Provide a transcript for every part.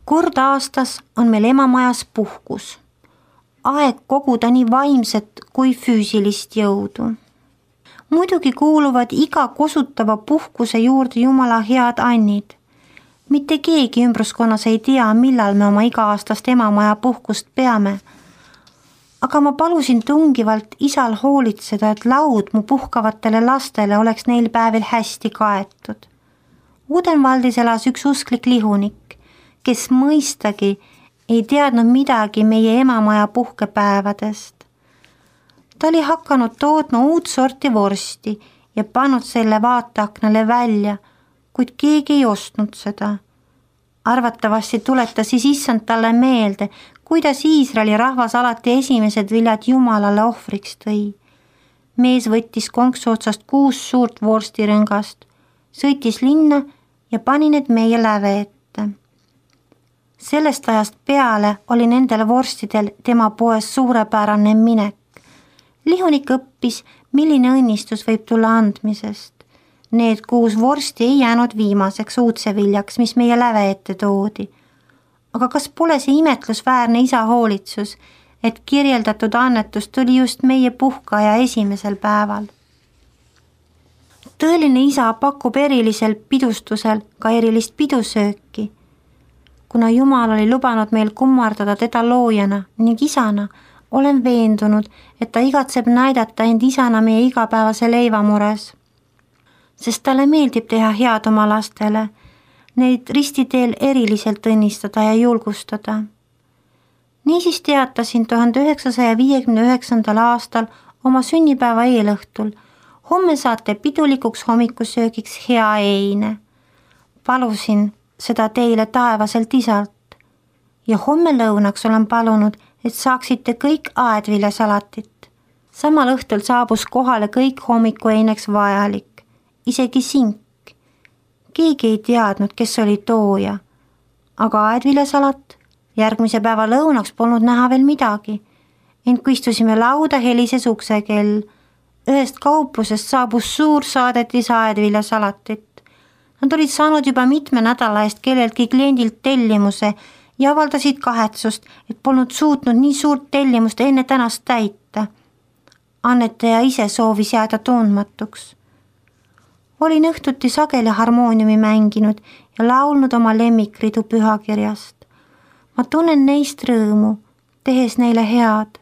Kord aastas on meil emamajas puhkus. Aeg koguda nii vaimset kui füüsilist jõudu. Muidugi kuuluvad iga kosutava puhkuse juurde Jumala head annid. Mitte keegi ümbruskonnas ei tea, millal me oma iga-aastast emamaja puhkust peame. Aga ma palusin tungivalt isal hoolitseda, et laud mu puhkavatele lastele oleks neil päevil hästi kaetud. Udenvaldis elas üks usklik lihunik, kes mõistagi ei teadnud midagi meie emamaja puhkepäevadest. Ta oli hakanud tootma uut sorti vorsti ja pannud selle vaateaknale välja, kuid keegi ei ostnud seda. Arvatavasti tuletas siis issand talle meelde, kuidas Iisraeli rahvas alati esimesed viljad Jumalale ohvriks tõi. Mees võttis konksu otsast 6 suurt vorstirõngast, sõitis linna ja pani need meie läve ette. Sellest ajast peale oli nendel vorstidel tema poes suurepärane minek. Lihunik õppis, milline õnnistus võib tulla andmisest. Need 6 vorsti ei jäänud viimaseks uudseviljaks, mis meie läve ette toodi. Aga kas pole see imetlusväärne isa hoolitsus, et kirjeldatud annetus tuli just meie puhkaja esimesel päeval? Tõeline isa pakub erilisel pidustusel ka erilist pidusööki. Kuna Jumal oli lubanud meil kummardada teda loojana ning isana, olen veendunud, et ta igatseb näidata end isana meie igapäevase leivamures. Sest talle meeldib teha head oma lastele, neid ristiteel eriliselt õnnistada ja julgustada. Niisiis teatasin 1959. aastal oma sünnipäeva eelõhtul. Homme saate pidulikuks hommikusöögiks hea eine. Palusin seda teile taevaselt isalt. Ja homme lõunaks olen palunud, et saaksite kõik aedviljasalatit. Samal õhtul saabus kohale kõik hommikueineks vajalik, isegi sink. Keegi ei teadnud, kes oli tooja, aga aedviljasalat järgmise päeva lõunaks polnud näha veel midagi. Ent kui istusime lauda, helises uksekell. Ühest kauplusest saabus suur saadetis aedviljasalatit. Nad olid saanud juba mitme nädala eest kelleltki kliendilt tellimuse ja avaldasid kahetsust, et polnud suutnud nii suurt tellimust enne tänast täita. Annetaja ise soovis jääda tundmatuks. Olin õhtuti sageli harmooniumi mänginud ja laulnud oma lemmikridu pühakirjast. Ma tunnen neist rõõmu, tehes neile head.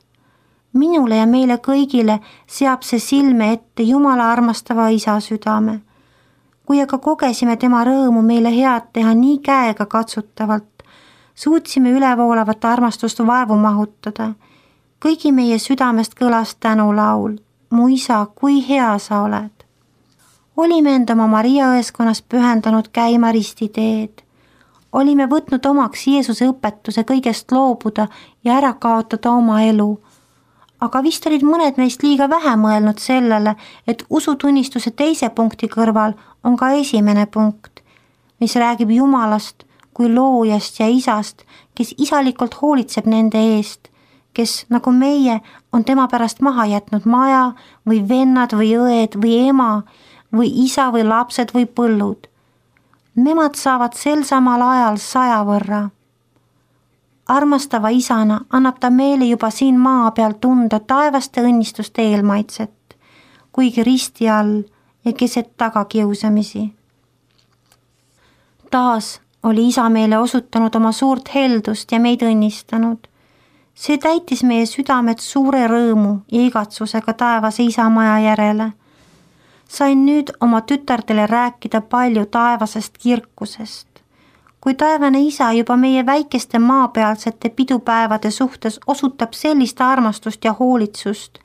Minule ja meile kõigile seab see silme ette Jumala armastava isa südame. Kui aga kogesime tema rõõmu meile head teha nii käega katsutavalt, suutsime ülevoolavat armastust vaevu mahutada. Kõigi meie südamest kõlas tänulaul. Mu isa, kui hea sa oled. Olime end oma Maria õeskonnas pühendanud käima ristiteed. Olime võtnud omaks Jeesuse õpetuse kõigest loobuda ja ära kaotada oma elu. Aga vist olid mõned meist liiga vähe mõelnud sellele, et usutunnistuse teise punkti kõrval on ka esimene punkt, mis räägib Jumalast kui loojast ja isast, kes isalikult hoolitseb nende eest, kes nagu meie on tema pärast maha jätnud maja või vennad või õed või ema või isa või lapsed või põllud. Nemad saavad sel samal ajal 100 võrra. Armastava isana annab ta meile juba siin maa peal tunda taevaste õnnistuste eelmaitset, kuigi risti all ja keset tagakiusamisi. Taas oli isa meile osutanud oma suurt heldust ja meid õnnistanud. See täitis meie südamed suure rõõmu ja igatsusega taevase isa maja järele. Sain nüüd oma tütardele rääkida palju taevasest kirkusest. Kui taevane isa juba meie väikeste maapealsete pidupäevade suhtes osutab sellist armastust ja hoolitsust,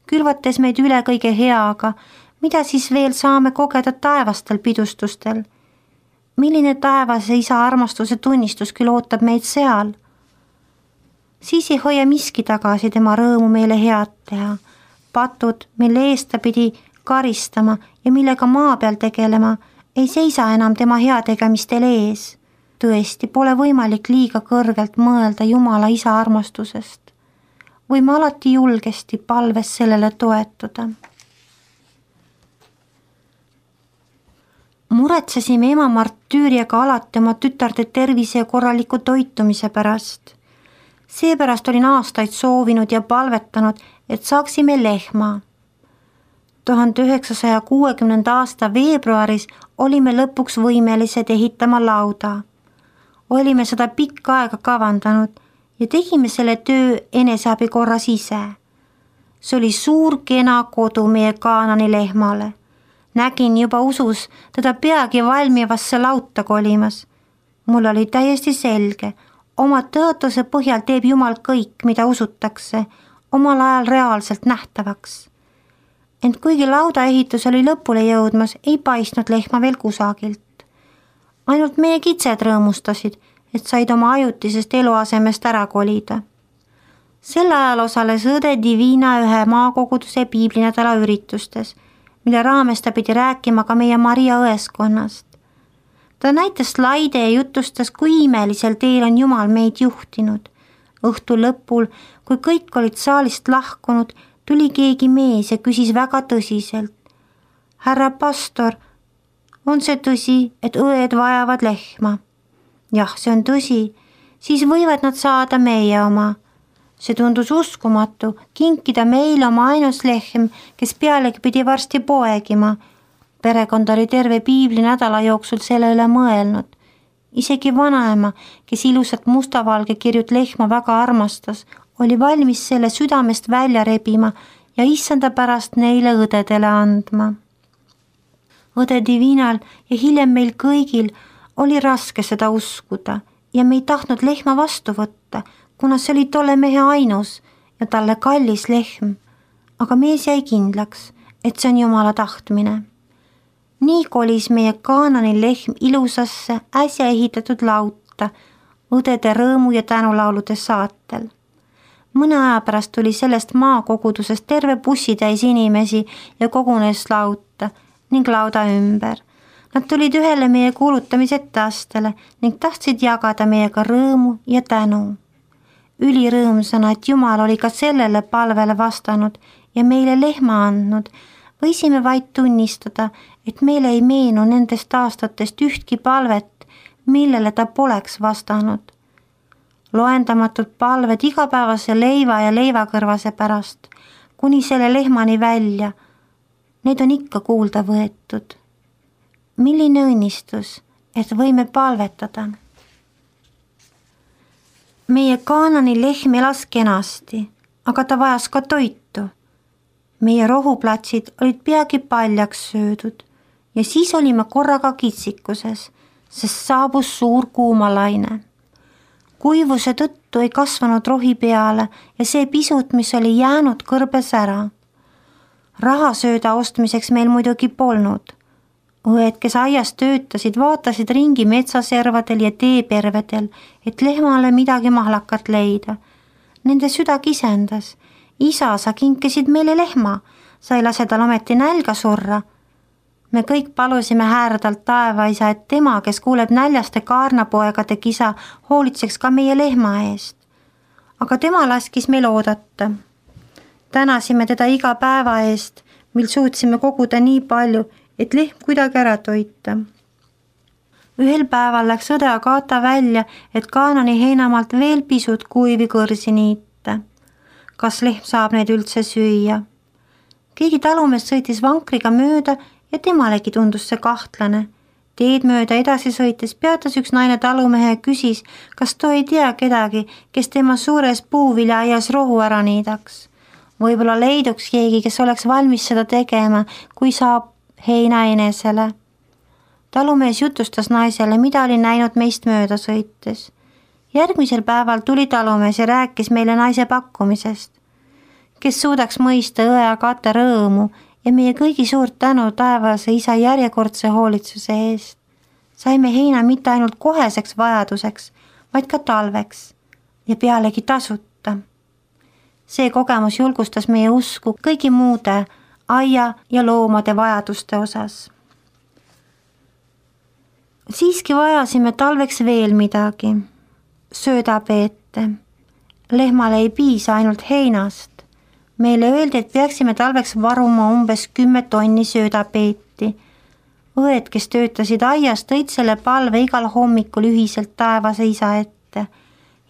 külvates meid üle kõige heaga, mida siis veel saame kogeda taevastel pidustustel? Milline taevase isa armastuse tunnistus küll ootab meid seal? Siis ei hoia miski tagasi tema rõõmu meile head teha. Patud, mille eest ta pidi karistama ja millega maa peal tegelema, ei seisa enam tema heategemistel ees. Tõesti, pole võimalik liiga kõrgelt mõelda Jumala isa armastusest. Võime alati julgesti palves sellele toetuda. muretsesime ema martüüriaga alati oma tütarde tervise ja korraliku toitumise pärast. Seepärast olin aastaid soovinud ja palvetanud, et saaksime lehma. 1960. aasta veebruaris olime lõpuks võimelised ehitama lauda. Olime seda pikka aega kavandanud ja tegime selle töö eneseabi korras ise. See oli suur kena kodu meie Kaanani lehmale. Nägin juba usus teda peagi valmivasse lauta kolimas. Mul oli täiesti selge, oma tõotuse põhjal teeb Jumal kõik, mida usutakse, omal ajal reaalselt nähtavaks. Ent kuigi lauda ehitus oli lõpule jõudmas, ei paistnud lehma veel kusagilt. Ainult meie kitsed rõõmustasid, et said oma ajutisest eluasemest ära kolida. Sel ajal osales õde Divina ühe maakoguduse piiblinädala üritustes, mille raames ta pidi rääkima ka meie Maria õeskonnast. Ta näitas slaide ja jutustas, kui imelisel teel on Jumal meid juhtinud. Õhtu lõpul, kui kõik olid saalist lahkunud, tuli keegi mees ja küsis väga tõsiselt. Härra pastor, on see tõsi, et õed vajavad lehma? Jah, see on tõsi, siis võivad nad saada meie oma. See tundus uskumatu, kinkida meile oma ainus lehm, kes pealegi pidi varsti poegima. Perekond oli terve piibli nädala jooksul selle üle mõelnud. Isegi vanaema, kes ilusat mustavalge kirjut lehma väga armastas, oli valmis selle südamest välja rebima ja issanda pärast neile õdedele andma. Õde Divinal ja hiljem meil kõigil oli raske seda uskuda ja me ei tahtnud lehma vastu võtta, kuna see oli tolle mehe ainus ja talle kallis lehm, aga mees jäi kindlaks, et see on Jumala tahtmine. Nii kolis meie Kaanani lehm ilusasse äsja ehitatud lauta, õdede rõõmu ja tänulaulude saatel. Mõne aja pärast tuli sellest maakogudusest terve bussitäis inimesi ja kogunes lauta ning lauda ümber. Nad tulid ühele meie kuulutamise etteastele ning tahtsid jagada meiega rõõmu ja tänu. Ülirõõmsana, et Jumal oli ka sellele palvele vastanud ja meile lehma andnud, võisime vaid tunnistada, et meile ei meenu nendest aastatest ühtki palvet, millele ta poleks vastanud. Loendamatud palved igapäevase leiva ja leivakõrvase pärast, kuni selle lehmani välja, need on ikka kuulda võetud. Milline õnnistus, et võime palvetada. Meie Kaanani lehm elas kenasti, aga ta vajas ka toitu. Meie rohuplatsid olid peagi paljaks söödud ja siis olime korraga kitsikuses, sest saabus suur kuumalaine. Kuivuse tõttu ei kasvanud rohi peale ja see pisut, mis oli jäänud, kõrbes ära. Rahasööda ostmiseks meil muidugi polnud. Õed, kes aias töötasid, vaatasid ringi metsaservadel ja teepervedel, et lehmale midagi mahlakat leida. Nende süda kisendas. Isa, sa kinkisid meile lehma, sa ei lase tal ometi nälga surra. Me kõik palusime häärdalt taevaisa, et tema, kes kuuleb näljaste kaarnapoegade kisa, hoolitseks ka meie lehma eest. Aga tema laskis meil oodata. Tänasime teda iga päeva eest, mil suutsime koguda nii palju, et lehm kuidagi ära toita. Ühel päeval läks õde Agata välja, et Kaanani heinamaalt veel pisut kuivi kõrsi niita. Kas lehm saab neid üldse süüa? Keegi talumees sõitis vankriga mööda ja temalegi tundus see kahtlane. Teed mööda edasi sõites peatas üks naine talumehe ja küsis, kas too ei tea kedagi, kes tema suures puuviljaaias rohu ära niidaks. Võib-olla leiduks keegi, kes oleks valmis seda tegema, kui saab heina enesele. Talumees jutustas naisele, mida oli näinud meist mööda sõites. Järgmisel päeval tuli talumees ja rääkis meile naise pakkumisest. Kes suudaks mõista õe Agata rõõmu ja meie kõigi suurt tänu taevase isa järjekordse hoolitsuse eest. Saime heina mitte ainult koheseks vajaduseks, vaid ka talveks ja pealegi tasuta. See kogemus julgustas meie usku kõigi muude aia ja loomade vajaduste osas. Siiski vajasime talveks veel midagi. Söödapeete. Lehmale ei piisa ainult heinast. Meile öeldi, et peaksime talveks varuma umbes 10 tonni söödapeeti. õed, kes töötasid aias, tõid selle palve igal hommikul ühiselt taevase isa ette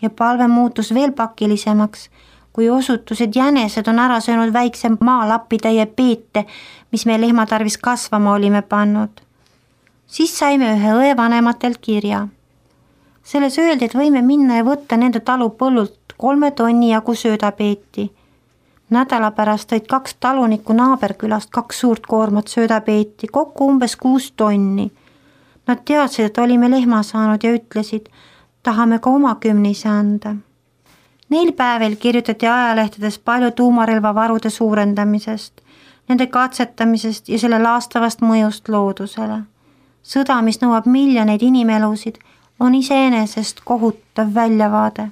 ja palve muutus veel pakilisemaks, kui osutus, et jänesed on ära söönud väikse maalapitäie peete, mis me lehma tarvis kasvama olime pannud. Siis saime ühe õe vanematelt kirja. Selles öeldi, et võime minna ja võtta nende talu põllult 3 tonni jagu söödapeeti. Nädala pärast tõid 2 talunikku naaberkülast 2 suurt koormat söödapeeti, kokku umbes 6 tonni. Nad teadsid, et olime lehma saanud ja ütlesid, tahame ka oma 10 anda. Neil päevil kirjutati ajalehtedes palju tuumarelvavarude suurendamisest, nende katsetamisest ja selle laastavast mõjust loodusele. Sõda, mis nõuab miljoneid inimelusid, on iseenesest kohutav väljavaade,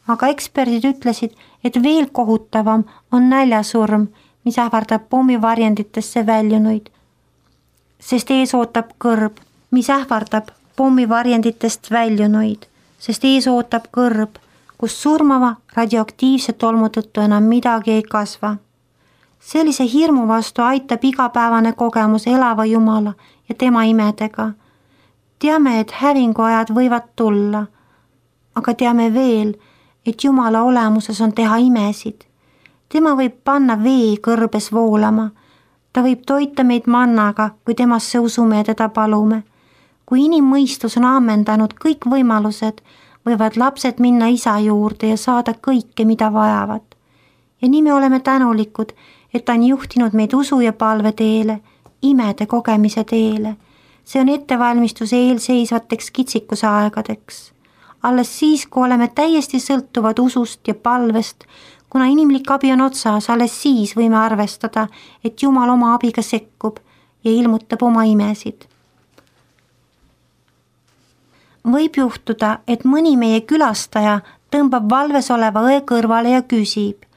aga eksperdid ütlesid, et veel kohutavam on näljasurm, mis ähvardab pommivarjenditesse väljunuid, sest ees ootab kõrb, kus surmava radioaktiivse tolmu tõttu enam midagi ei kasva. Sellise hirmu vastu aitab igapäevane kogemus elava Jumala ja tema imedega. Teame, et hävinguajad võivad tulla, aga teame veel, et Jumala olemuses on teha imesid. Tema võib panna vee kõrbes voolama. Ta võib toita meid mannaga, kui temasse usume ja teda palume. Kui inimmõistus on ammendanud kõik võimalused, võivad lapsed minna isa juurde ja saada kõike, mida vajavad. Ja nii me oleme tänulikud, et ta on juhtinud meid usu ja palve teele, imede kogemise teele. See on ettevalmistus eelseisvateks kitsikuse aegadeks. Alles siis, kui oleme täiesti sõltuvad usust ja palvest, kuna inimlik abi on otsas, alles siis võime arvestada, et Jumal oma abiga sekkub ja ilmutab oma imesid. Võib juhtuda, et mõni meie külastaja tõmbab valves oleva õe kõrvale ja küsib,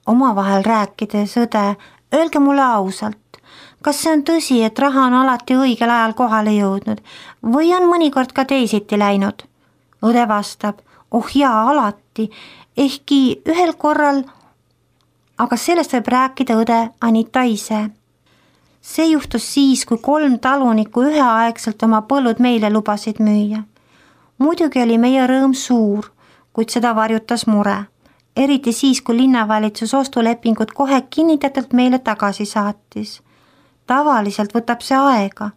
omavahel rääkides õde, öelge mulle ausalt, kas see on tõsi, et raha on alati õigel ajal kohale jõudnud või on mõnikord ka teisiti läinud? Õde vastab, oh jaa, alati, ehkki ühel korral, aga sellest võib rääkida õde Anita ise. See juhtus siis, kui 3 talunikku üheaegselt oma põllud meile lubasid müüa. Muidugi oli meie rõõm suur, kuid seda varjutas mure, eriti siis, kui linnavalitsus ostulepingut kohe kinnitatult meile tagasi saatis. Tavaliselt võtab see aega.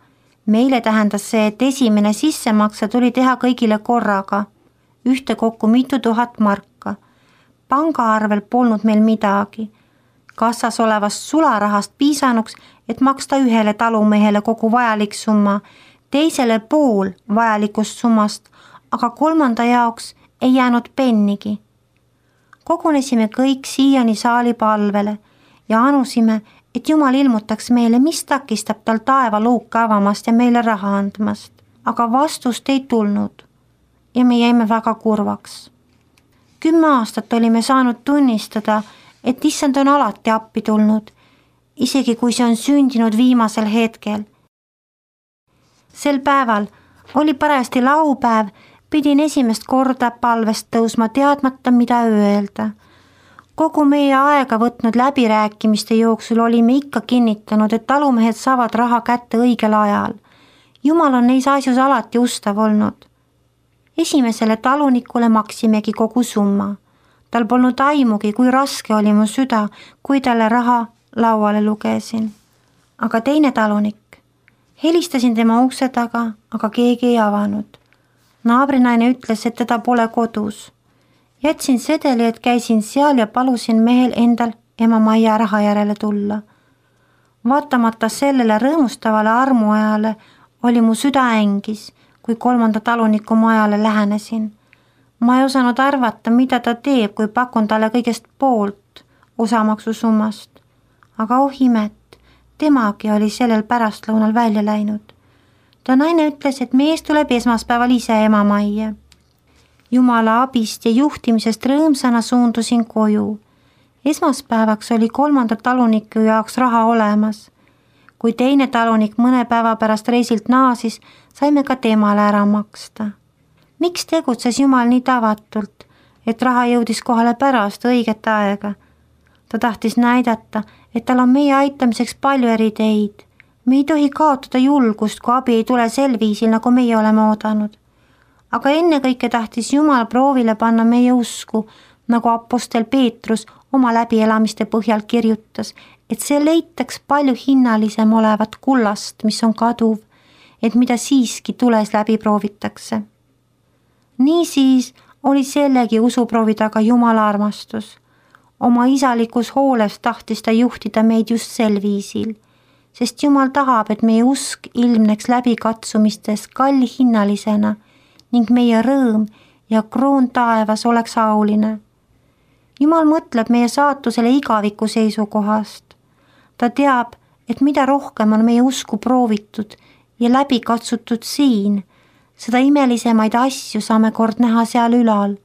Meile tähendas see, et esimene sissemakse tuli teha kõigile korraga, ühtekokku mitu tuhat marka. Pangaarvel polnud meil midagi. Kassas olevast sularahast piisanuks, et maksta ühele talumehele kogu vajalik summa, teisele pool vajalikust summast, aga 3. jaoks ei jäänud pennigi. Kogunesime kõik siiani saali palvele ja anusime, et Jumal ilmutaks meile, mis takistab tal taevaluuke avamast ja meile raha andmast. Aga vastust ei tulnud ja me jäime väga kurvaks. 10 aastat olime saanud tunnistada, et issand on alati appi tulnud, isegi kui see on sündinud viimasel hetkel. Sel päeval oli parajasti laupäev, pidin esimest korda palvest tõusma teadmata, mida öelda. Kogu meie aega võtnud läbirääkimiste jooksul olime ikka kinnitanud, et talumehed saavad raha kätte õigel ajal. Jumal on neis asjus alati ustav olnud. Esimesele talunikule maksimegi kogu summa. Tal polnud aimugi, kui raske oli mu süda, kui talle raha lauale lugesin. Aga teine talunik. Helistasin tema ukse taga, aga keegi ei avanud. Naabrinaine ütles, et teda pole kodus. Jätsin sedeli, et käisin seal ja palusin mehel endal ema Maia raha järele tulla. Vaatamata sellele rõõmustavale armuajale oli mu süda ängis, kui 3. taluniku majale lähenesin. Ma ei osanud arvata, mida ta teeb, kui pakun talle kõigest poolt osamaksusummast. Aga oh imet, temagi oli sellel pärastlõunal välja läinud. Ta naine ütles, et mees tuleb esmaspäeval ise ema majja. Jumala abist ja juhtimisest rõõmsana suundusin koju. Esmaspäevaks oli 3. taluniku jaoks raha olemas. Kui teine talunik mõne päeva pärast reisilt naasis, saime ka temale ära maksta. Miks tegutses Jumal nii tavatult, et raha jõudis kohale pärast õiget aega? Ta tahtis näidata, et tal on meie aitamiseks palju eri teid. me ei tohi kaotada julgust, kui abi ei tule sel viisil, nagu meie oleme oodanud. Aga ennekõike tahtis Jumal proovile panna meie usku, nagu apostel Peetrus oma läbielamiste põhjal kirjutas, et see leitaks palju hinnalisem olevat kullast, mis on kaduv, et mida siiski tules läbi proovitakse. Niisiis oli sellegi usuproovi taga Jumala armastus. Oma isalikus hooles tahtis ta juhtida meid just sel viisil, sest Jumal tahab, et meie usk ilmneks läbi katsumistes kallihinnalisena ning meie rõõm ja kroon taevas oleks auline. Jumal mõtleb meie saatusele igaviku seisukohast. Ta teab, et mida rohkem on meie usku proovitud ja läbi katsutud siin, seda imelisemaid asju saame kord näha seal ülal,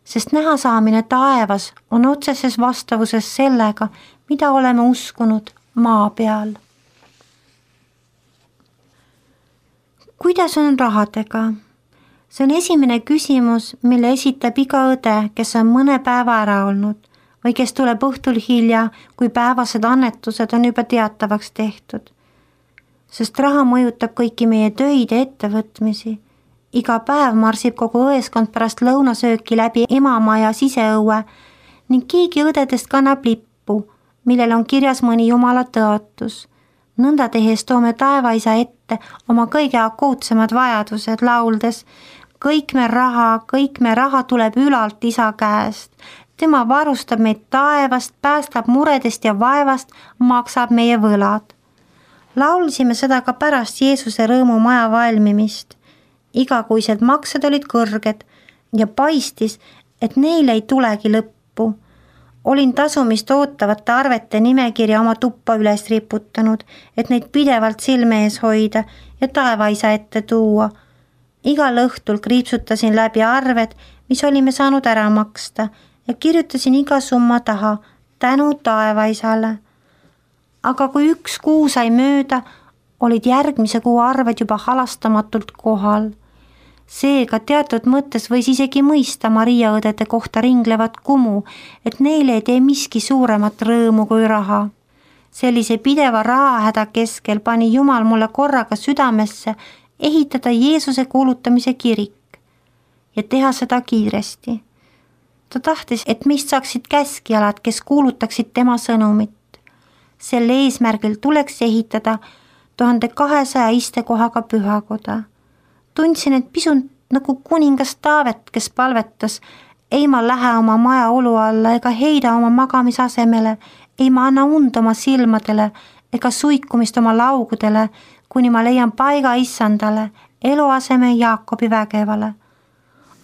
sest näha saamine taevas on otseses vastavuses sellega, mida oleme uskunud maa peal. Kuidas on rahadega? See on esimene küsimus, mille esitab iga õde, kes on mõne päeva ära olnud või kes tuleb õhtul hilja, kui päevased annetused on juba teatavaks tehtud. Sest raha mõjutab kõiki meie töid ja ettevõtmisi. Iga päev marsib kogu õeskond pärast lõunasööki läbi emamaja siseõue ning keegi õdedest kannab lippu, millel on kirjas mõni Jumala tõotus. Nõnda tehes toome taevaisa ette oma kõige akuutsemad vajadused lauldes. Kõik me raha tuleb ülalt isa käest. Tema varustab meid taevast, päästab muredest ja vaevast, maksab meie võlad. Laulsime seda ka pärast Jeesuse rõõmumaja valmimist. Igakuised maksed olid kõrged ja paistis, et neil ei tulegi lõppu. Olin tasumist ootavate arvete nimekirja oma tuppa üles riputanud, et neid pidevalt silme ees hoida ja taevaisa ette tuua. Igal õhtul kriipsutasin läbi arved, mis olime saanud ära maksta ja kirjutasin iga summa taha tänu taevaisale. Aga kui üks kuu sai mööda, olid järgmise kuu arved juba halastamatult kohal. Seega teatud mõttes võis isegi mõista Maria õdede kohta ringlevat kumu, et neile ei tee miski suuremat rõõmu kui raha. Sellise pideva rahahäda keskel pani Jumal mulle korraga südamesse ehitada Jeesuse kuulutamise kirik ja teha seda kiiresti. Ta tahtis, et meist saaksid käskjalad, kes kuulutaksid tema sõnumit. Sel eesmärgil tuleks ehitada 1200 istekohaga pühakoda. Tundsin, et pisut nagu kuningas Taavet, kes palvetas, ei ma lähe oma maja olu alla ega heida oma magamisasemele, ei ma anna und oma silmadele ega suikumist oma laugudele, kuni ma leian paiga issandale, eluaseme Jaakobi vägevale.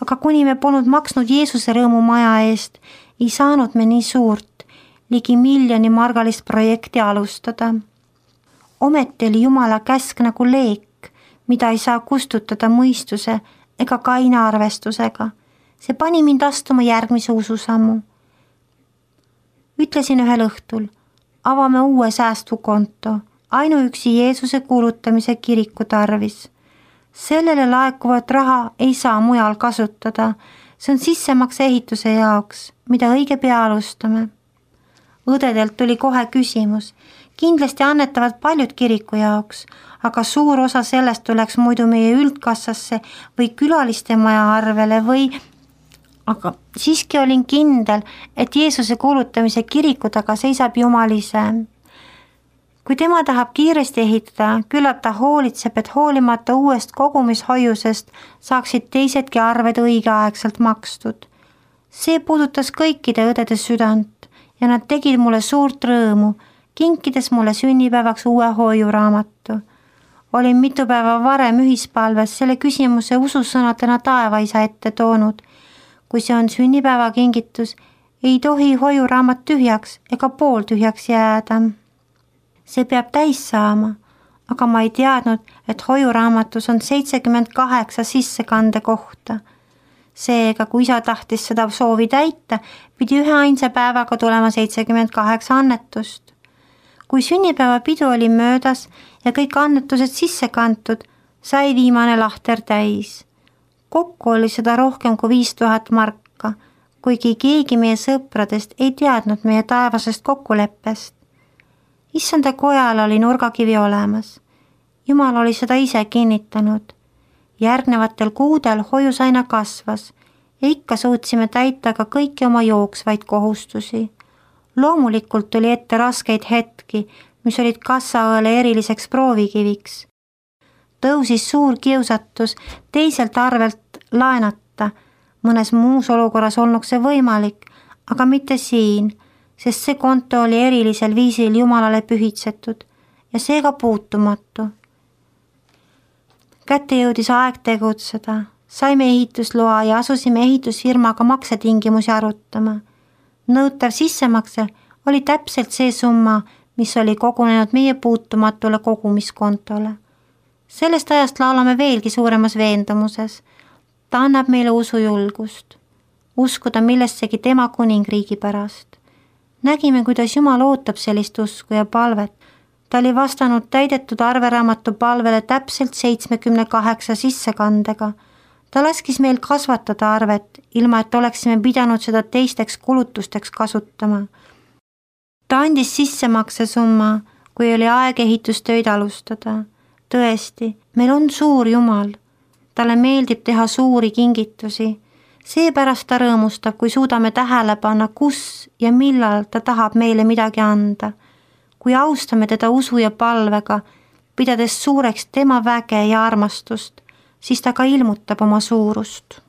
Aga kuni me polnud maksnud Jeesuse rõõmumaja eest, ei saanud me nii suurt, ligi 1 miljoni margalist projekti alustada. Ometi oli Jumala käsk nagu leek, mida ei saa kustutada mõistuse ega kaina arvestusega. See pani mind astuma järgmise ususammu. Ütlesin ühel õhtul, avame uue säästukonto, ainuüksi Jeesuse kuulutamise kiriku tarvis. Sellele laekuvat raha ei saa mujal kasutada, see on sissemakse ehituse jaoks, mida õige pea alustame. Õdedelt tuli kohe küsimus, kindlasti annetavad paljud kiriku jaoks, aga suur osa sellest tuleks muidu meie üldkassasse või külaliste maja arvele või... Aga siiski olin kindel, et Jeesuse kuulutamise kiriku taga seisab Jumal ise. Kui tema tahab kiiresti ehitada, küllap ta hoolitseb, et hoolimata uuest kogumishoiusest saaksid teisedki arved õigeaegselt makstud. See puudutas kõikide õdede südant ja nad tegid mulle suurt rõõmu, kinkides mulle sünnipäevaks uue hoiuraamatu. Olin mitu päeva varem ühispalves selle küsimuse ususõnadena taevaisa ette toonud. Kui see on sünnipäevakingitus, ei tohi hoiuraamat tühjaks ega pooltühjaks jääda. See peab täis saama, aga ma ei teadnud, et hoiuraamatus on 78 sissekande kohta. Seega, kui isa tahtis seda soovi täita, pidi ühe ainsa päevaga tulema 78 annetust. Kui sünnipäevapidu oli möödas ja kõik annetused sisse kantud, sai viimane lahter täis. Kokku oli seda rohkem kui 5000 marka, kuigi keegi meie sõpradest ei teadnud meie taevasest kokkuleppest. Issanda kojal oli nurgakivi olemas. Jumal oli seda ise kinnitanud. Järgnevatel kuudel hoius aina kasvas ja ikka suutsime täita ka kõiki oma jooksvaid kohustusi. Loomulikult tuli ette raskeid hetki, mis olid kassaõele eriliseks proovikiviks. Tõusis suur kiusatus teiselt arvelt laenata. Mõnes muus olukorras olnuks see võimalik, aga mitte siin, sest see konto oli erilisel viisil Jumalale pühitsetud ja seega puutumatu. Kätte jõudis aeg tegutseda. Saime ehitusloa ja asusime ehitusfirmaga maksetingimusi arutama. Nõutav sissemakse oli täpselt see summa, mis oli kogunenud meie puutumatule kogumiskontole. Sellest ajast laulame veelgi suuremas veendumuses. Ta annab meile usujulgust. Uskuda millessegi tema kuningriigi pärast. Nägime, kuidas Jumal ootab sellist usku ja palvet. Ta oli vastanud täidetud arveraamatu palvele täpselt 78 sissekandega. Ta laskis meil kasvatada arvet, ilma et oleksime pidanud seda teisteks kulutusteks kasutama. Ta andis sissemakse summa, kui oli aeg ehitustöid alustada. Tõesti, meil on suur Jumal. Talle meeldib teha suuri kingitusi. Seepärast ta rõõmustab, kui suudame tähele panna, kus ja millal ta tahab meile midagi anda. Kui austame teda usu ja palvega, pidades suureks tema väge ja armastust, siis ta ka ilmutab oma suurust.